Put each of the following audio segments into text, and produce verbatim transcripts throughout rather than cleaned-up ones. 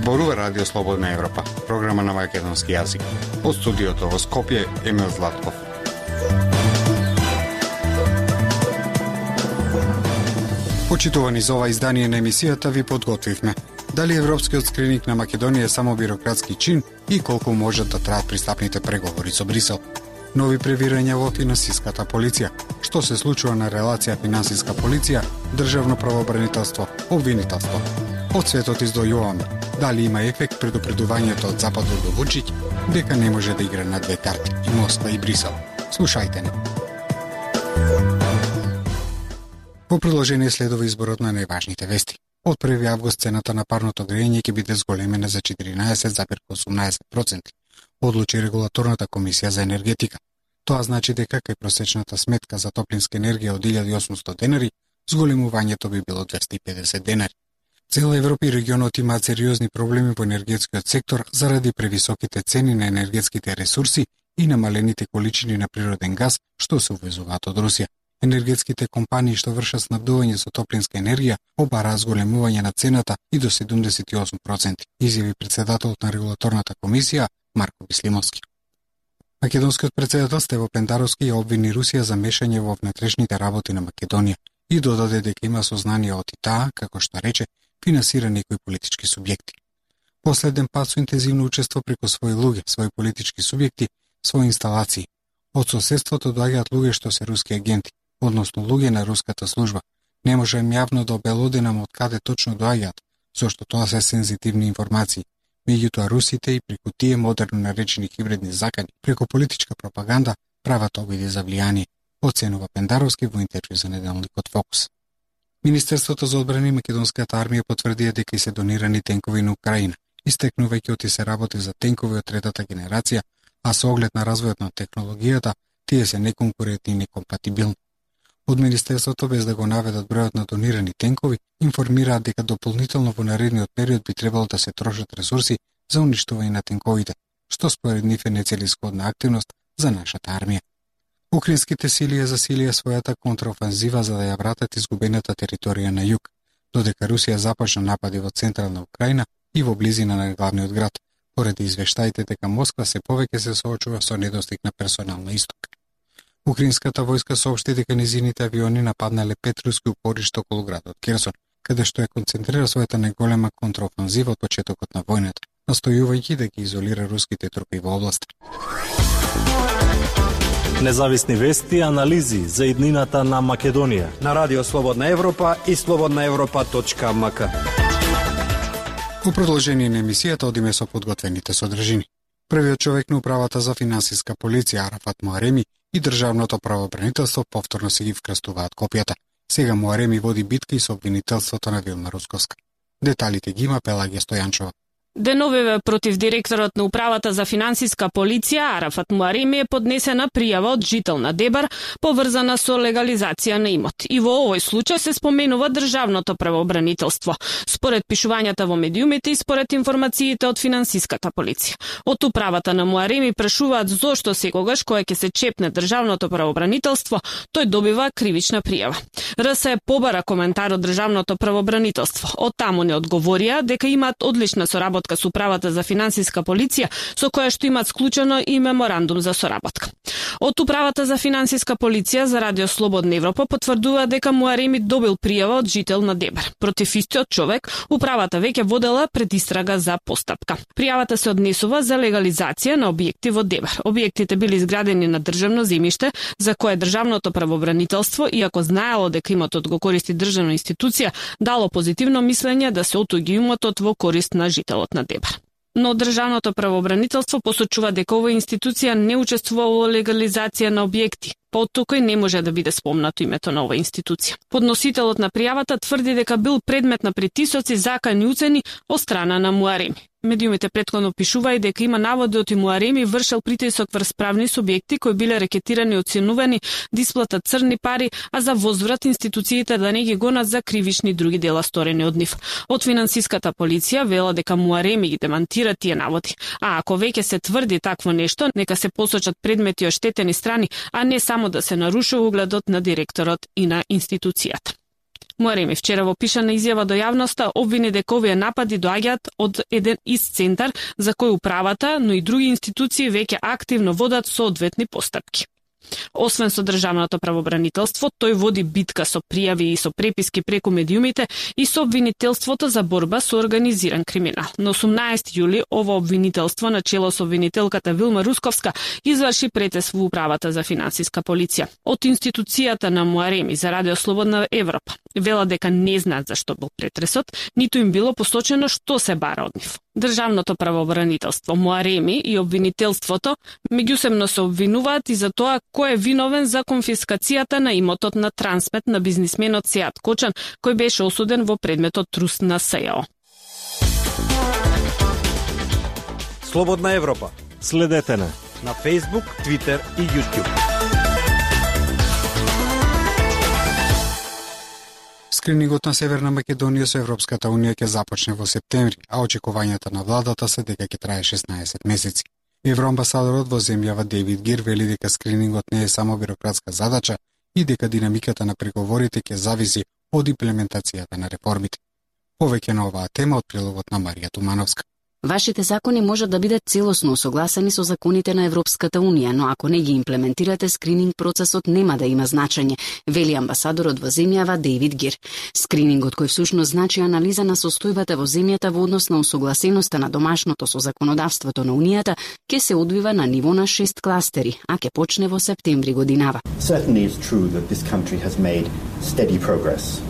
Зборува Радио Слободна Европа, програма на македонски јазик. Од студиото во Скопје, Емил Златков. Почитувани за ова издание на емисијата ви подготвивме. Дали европскиот скрининг на Македонија е само бирократски чин и колку можат да траат пристапните преговори со Брисел. Нови превирања во финансиската полиција. Што се случува на релација финансиска полиција, државно правообранителство, обвинителство. Од светот издојуваме дали има ефект предупредувањето од Западот до Вучиќ дека не може да игра на две карти, и Москва и Брисел. Слушајте не. Во продолжение следува изборот на најважните вести. Од први август цената на парното грејење ќе биде зголемена за четиринаесет зарез осумнаесет проценти, одлучи регулаторната комисија за енергетика. Тоа значи дека кај просечната сметка за топлинска енергија од илјада и осумстотини денари, зголемувањето би било двесте и педесет денари. Цела Европа и регионот имаат сериозни проблеми во енергетскиот сектор заради превисоките цени на енергетските ресурси и намалените количини на природен газ што се увезуваат од Русија. Енергетските компании што вршат снабдување со топлинска енергија обараа зголемување на цената и до седумдесет и осум проценти, изјави претседателот на регулаторната комисија Марко Бислимовски. Македонскиот претседател Стево Пендаровски ја обвини Русија за мешање во внатрешните работи на Македонија и додаде дека има сознание од и таа, како што рече, финансира некои политички субјекти. Последен пат со интензивно учество преку своји луѓе, своји политички субјекти, своји инсталации. Од соседството доаѓаат луѓе што се руски агенти, односно луѓе на руската служба. Не можем јавно да обелоденам од каде точно доаѓаат, зашто тоа се сензитивни информации. Меѓутоа русите и преку тие модерно наречени хибридни закани, преку политичка пропаганда, прават обиди за влијание, оценува Пендаровски во интервју за неделникот Фокус. Министерството за одбрана и македонската армија потврдија дека и се донирани тенкови на Украина, истекнувајќи оти се работи за тенкови од третата генерација, а со оглед на развојот на технологијата, тие се неконкурентни и некомпатибилни. Од Министерството, без да го наведат бројот на донирани тенкови, информираат дека дополнително во наредниот период би требало да се трошат ресурси за уништување на тенковите, што според нив е нецелисходна активност за нашата армија. Украинските сили ја засилија својата контраофанзива за да ја вратат изгубената територија на југ, додека Русија започна напади во централна Украина и во близина на главниот град, поради извештаите дека Москва се повеќе се соочува со недостиг на персонал на исток. Украинската војска соопшти дека низините авиони нападнале пет руски упоришта околу градот Керсон, каде што ја концентрира својата најголема контраофанзива од почетокот на војната, настојувајќи да ги изолира руските трупи во областа. Независни вести и анализи за иднината на Македонија на Радио Слободна Европа и слободна европа точка ем ка. Во продолжение на емисијата одиме со подготвените содржини. Првиот човек на управата за финансиска полиција Арафат Муареми и државното правообранителство повторно се ги вкрстуваат копијата. Сега Муареми води битка и со обвинителството на Вилма Русковска. Деталите ги има Пелагија Стојанчова. Деновиве против директорот на управата за финансиска полиција Арафат Муареми е поднесена пријава од жител на Дебар поврзана со легализација на имот. И во овој случај се споменува државното правообранителство, според пишувањата во медиумите и според информациите од финансиската полиција. Од управата на Муареми прашуваат зошто секогаш кога ќе се чепне државното правообранителство, тој добива кривична пријава. РС е побара коментар од државното правообранителство. Од таму не одговорија дека имаат одлична соработка со управата за финансиска полиција, со која што имаат склучено и меморандум за соработка. Од управата за финансиска полиција за Радио Слободна Европа потврдува дека Муареми добил пријава од жител на Дебар. Против истиот човек, управата веќе водела предистрага за постапка. Пријавата се однесува за легализација на објекти во Дебар. Објектите били изградени на државно земјиште, за кое државното правообранителство, иако знаело дека имотот го користи државна институција, дало позитивно мислење да се отуѓи имотот во корист на жителот на Дебар. Но државното правообранителство посочува дека оваа институција не учествува во легализација на објекти. Поттука не може да биде спомнато името на оваа институција. Подносителот на пријавата тврди дека бил предмет на притисоци, закани уцени од страна на Муареми. Медиумите претходно пишува и дека има наводи од Муареми вршел притисок врз правни субјекти кои биле рекетирани и оценувани да исплатат црни пари, а за возврат институциите да не ги гонат за кривични други дела сторени од нив. Од финансиската полиција вела дека Муареми ги демантира тие наводи. А ако веќе се тврди такво нешто, нека се посочат предмети оштетени страни, а не само да се нарушува угледот на директорот и на институцијата. Муареми вчера во пишана изјава до јавноста обвини дека овие напади доаѓаат од еден ист центар за кој управата, но и други институции веќе активно водат соодветни постапки. Освен со државното правобранителство, тој води битка со пријави и со преписки преку медиумите и со обвинителството за борба со организиран криминал. На осумнаесети јули ово обвинителство на чело со обвинителката Вилма Русковска изврши претес во управата за финансиска полиција. Од институцијата на Муареми за Радио Слободна Европа вела дека не знаат зашто бил претресот, ниту им било посочено што се бара од нив. Државното правобранителство, Муареми и обвинителството меѓусебно се обвинуваат и за тоа кој е виновен за конфискацијата на имотот на Трансмет на бизнисменот Сеат Кочан, кој беше осуден во предметот труст на СЈО. Слободна Европа. Следете на на Facebook, Twitter и YouTube. Скринингот на Северна Македонија со Европската Унија ќе започне во септември, а очекувањата на владата се дека ќе трае шеснаесет месеци. Евроамбасадорот во земјава Дейвид Гир вели дека скринингот не е само бирократска задача и дека динамиката на преговорите ќе зависи од имплементацијата на реформите. Повеќе на оваа тема од прилогот на Марија Тумановска. Вашите закони можат да бидат целосно усогласени со законите на Европската Унија, но ако не ги имплементирате, скрининг процесот нема да има значење, вели амбасадорот во земјава Дейвид Гир. Скринингот кој всушност значи анализа на состојбата во земјата во однос на усогласеноста на домашното со законодавството на Унијата, ќе се одвива на ниво на шест кластери, а ќе почне во септември годинава. Certainly it's true that this country has made steady progress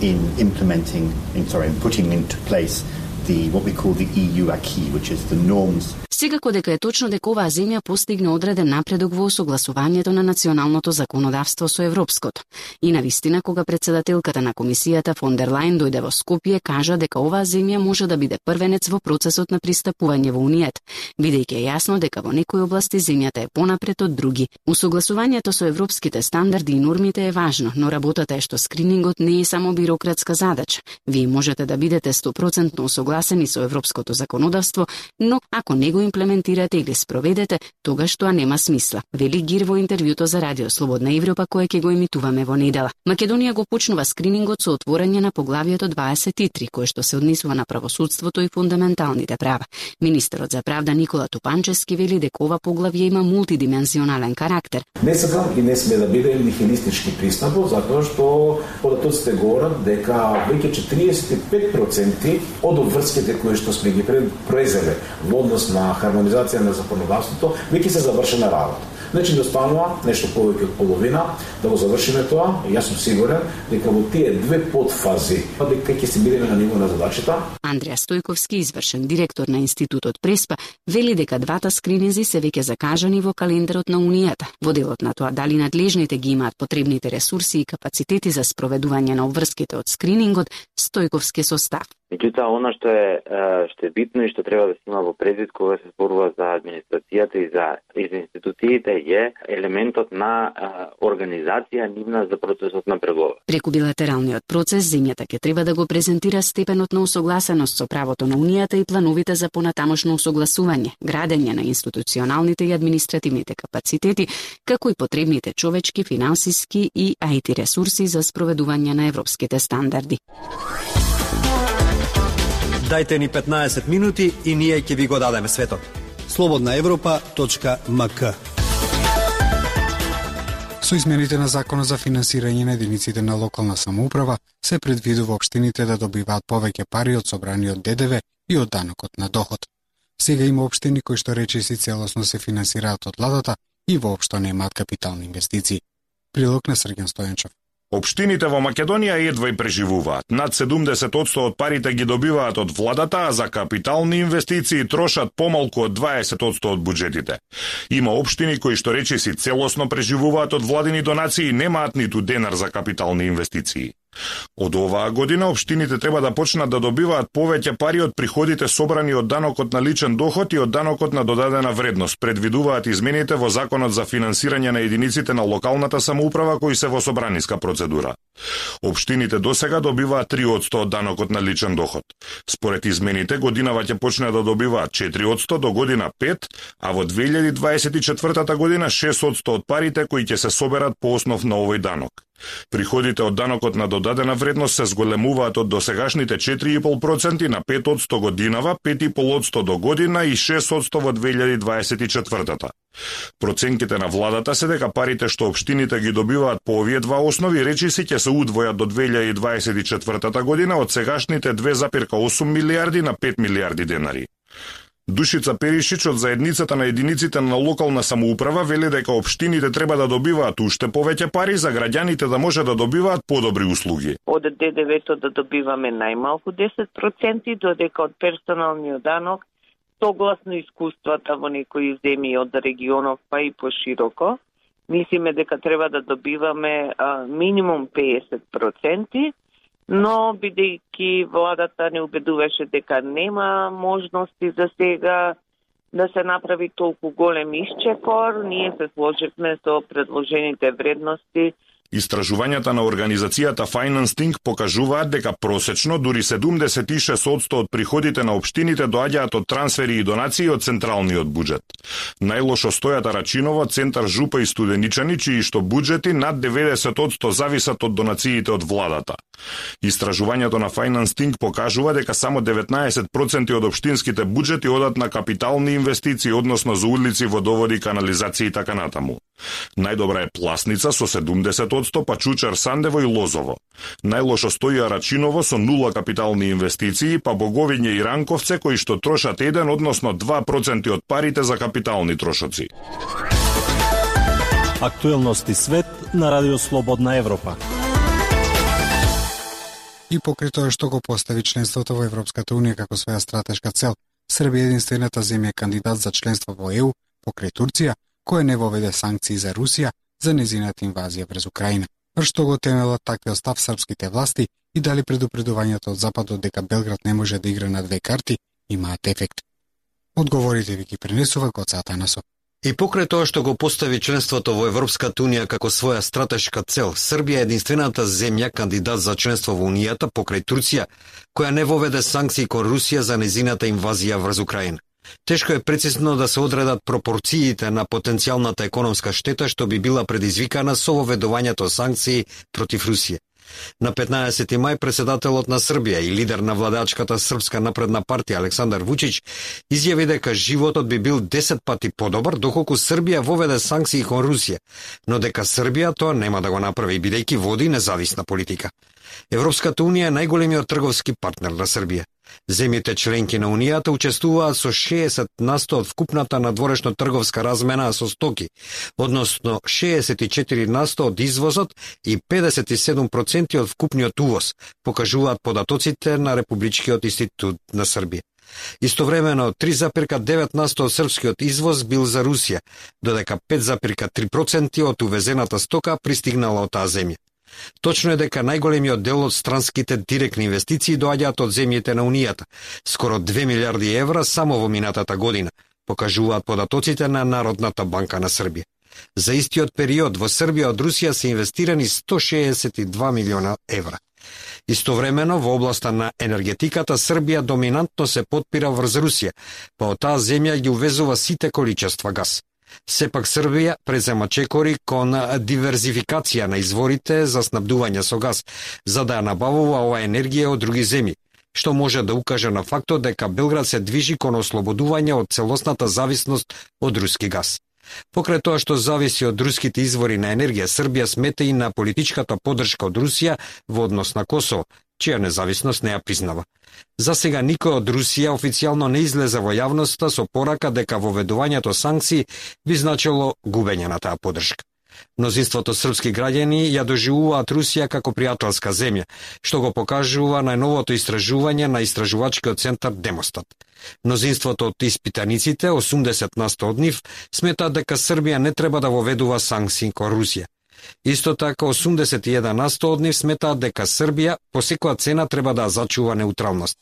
in implementing, in, sorry, in putting into place the what we call the E U acquis, which is the norms. Секако дека е точно дека оваа земја постигна одреден напредок во согласувањето на националното законодавство со европското. И навистина, кога председателката на комисијата фон дер Лајен дојде во Скопје, кажа дека оваа земја може да биде првенец во процесот на пристапување во Унијата, бидејќи е јасно дека во некои области земјата е понапред од други. Усогласувањето со европските стандарди и нормите е важно, но работата е што скринингот не е само бирократска задача. Вие можете да бидете сто проценти усогласени со европското законодавство, но ако не го имплементирате или спроведете, тогаш тоа нема смисла, вели Гир во интервјуто за Радио Слободна Европа кое ќе го емитуваме во недела. Македонија го почнува скринингот со отворање на поглавието дваесет и три, кое што се однесува на правосудството и фундаменталните права. Министерот за правда Никола Тупанчевски вели дека ова поглавје има мултидимензионален карактер. Не сакам и не сме да биде нихилистички пристапот, затоа што податоците говорат дека веќе четириесет и пет проценти од обврските кои што сме ги произвеле во однос на хармонизација на законодавството, веќе се завршена работа. Значи да останува нешто повеќе од половина да го завршиме тоа, и јас сум сигурен дека во тие две подфази дека ќе се бидеме на ниво на задачата. Андреа Стојковски, извршен директор на Институтот Преспа, вели дека двата скрининзи се веќе закажани во календарот на Унијата. Во делот на тоа дали надлежните ги имаат потребните ресурси и капацитети за спроведување на обврските од скринингот, Стојковски состав. Меѓутоа, она што е што е битно и што треба да се има во предвид кога се зборува за администрацијата и за, и за институциите е елементот на а, организација нивна за процесот на преговор. Преку билатералниот процес, земјата ќе треба да го презентира степенот на усогласеност со правото на Унијата и плановите за понатамошно усогласување, градење на институционалните и административните капацитети, како и потребните човечки, финансиски и ай ти ресурси за спроведување на европските стандарди. Дајте ни петнаесет минути и ние ќе ви го дадеме светот. слободна европа точка ем ка. Со измените на Законот за финансирање на единиците на локална самоуправа се предвидува општините да добиваат повеќе пари од собраниот Д Д В и од данокот на доход. Сега има општини кои што речиси целосно се финансираат од владата и воопшто немаат капитални инвестиции. Прилог на Срѓан Стојанчов. Општините во Македонија едва и преживуваат. Над седумдесет одсто од парите ги добиваат од владата, а за капитални инвестиции трошат помалку од дваесет одсто од буџетите. Има општини кои што речиси целосно преживуваат од владини донации и немаат ниту денар за капитални инвестиции. Од оваа година општините треба да почнат да добиваат повеќе пари од приходите собрани од данокот на личен доход и од данокот на додадена вредност, предвидуваат измените во Законот за финансирање на единиците на локалната самоуправа кои се во собраниска процедура. Општините досега добиваат три одсто од данокот на личен доход. Според измените, годинава ќе почне да добиваат четири одсто до година пет, а во две илјади дваесет и четвртата година шест одсто од парите кои ќе се соберат по основ на овој данок. Приходите од данокот на додадена вредност се зголемуваат од досегашните четири и пет проценти на пет одсто годинава, пет и пет одсто до година и шест одсто во две илјади дваесет и четвртата. Проценките на владата се дека парите што општините ги добиваат по овие два основи речиси ќе се удвојат до две илјади дваесет и четвртата година од сегашните две запирка осум милијарди на пет милијарди денари. Душица Перишич од заедницата на единиците на локална самоуправа вели дека општините треба да добиваат уште повеќе пари за граѓаните да може да добиваат подобри услуги. Од ДДВ-то да добиваме најмалку десет проценти, додека од персоналниот данок, согласно искуствата во некои земји од регионов па и пошироко, мислиме дека треба да добиваме а, минимум педесет проценти, но бидејќи владата не убедуваше дека нема можности за сега да се направи толку голем исчекор, ние се сложивме со предложените вредности. Истражувањата на организацијата Financing покажуваат дека просечно дури седумдесет и шест одсто од приходите на општините доаѓаат од трансфери и донации од централниот буџет. Најлошо стојат Арачиново, Центар Жупа и Студеничани, чии што буџети над деветдесет одсто зависат од донациите од владата. Истражувањето на Financing покажува дека само деветнаесет проценти од општинските буџети одат на капитални инвестиции, односно за улици, водоводи, канализација и така натаму. Најдобра е Пласница со седумдесет одсто, па Чучар, Сандево и Лозово. Најлошо стои Арачиново со нула капитални инвестиции, па Боговиње и Ранковце кои што трошат еден, односно два проценти од парите за капитални трошоци. Актуелности свет на Радио Слободна Европа. И покрај тоа што го постави членството во Европската Унија како своја стратешка цел, Србија е единствената земја кандидат за членство во Е У покрај Турција, која не воведе санкции за Русија за незината инвазија врз Украина. Што го темелат таквиот став српските власти и дали предупредувањето од Западот дека Белград не може да игра на две карти имаат ефект? Одговорите ви ги пренесува Гоца Атанасов. И покрај тоа што го постави членството во Европската Унија како своја стратешка цел, Србија е единствената земја кандидат за членство во Унијата покрај Турција, која не воведе санкции кон Русија за незината инвазија врз Украина. Тешко е прецизно да се одредат пропорциите на потенцијалната економска штета што би била предизвикана со воведувањето санкции против Русија. На петнаесети мај председателот на Србија и лидер на владачката Српска напредна партија Александар Вучич изјави дека животот би бил десет пати подобар доколку Србија воведе санкции кон Русија, но дека Србија тоа нема да го направи бидејќи води независна политика. Европската Унија е најголемиот трговски партнер на Србија. Земјите членки на Унијата учествуваат со шеесет насто од вкупната надворешно трговска размена со стоки, односно шеесет и четири насто од извозот и педесет и седум проценти од вкупниот увоз, покажуваат податоците на Републичкиот институт на Србија. Истовремено, три запирка девет насто од српскиот извоз бил за Русија, додека пет запирка три проценти од увезената стока пристигнала од таа земја. Точно е дека најголемиот дел од странските директни инвестиции доаѓаат од земјите на Унијата, скоро две милијарди евра само во минатата година, покажуваат податоците на Народната банка на Србија. За истиот период во Србија од Русија се инвестирани сто шеесет и два милиона евра. Истовремено, во областа на енергетиката, Србија доминантно се потпира врз Русија, па од таа земја ги увезува сите количества газ. Сепак Србија презема чекори кон диверзификација на изворите за снабдување со газ, за да ја набавува оваа енергија од други земји, што може да укаже на фактот дека Белград се движи кон ослободување од целосната зависност од руски газ. Покрај тоа што зависи од руските извори на енергија, Србија смета и на политичката поддршка од Русија во однос на Косово, чија независност не ја признава. За сега никој од Русија официјално не излезе во јавноста со порака дека воведувањето санкции би значило губење на таа поддршка. Мнозинството српски граѓани ја доживуваат Русија како пријателска земја, што го покажува најновото истражување на истражувачкиот центар Демостат. Мнозинството од испитаниците, осумдесет насто од нив, сметаат дека Србија не треба да воведува санкции кон Русија. Исто така, осумдесет и еден насто од нив сметаат дека Србија по секоја цена треба да зачува неутралност.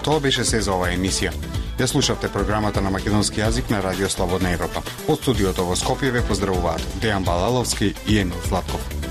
Тоа беше се за оваа емисија. Ја слушавте програмата на македонски јазик на Радио Слободна Европа. Од студиото во Скопје ве поздравуваат Дејан Балаловски и Емил Златков.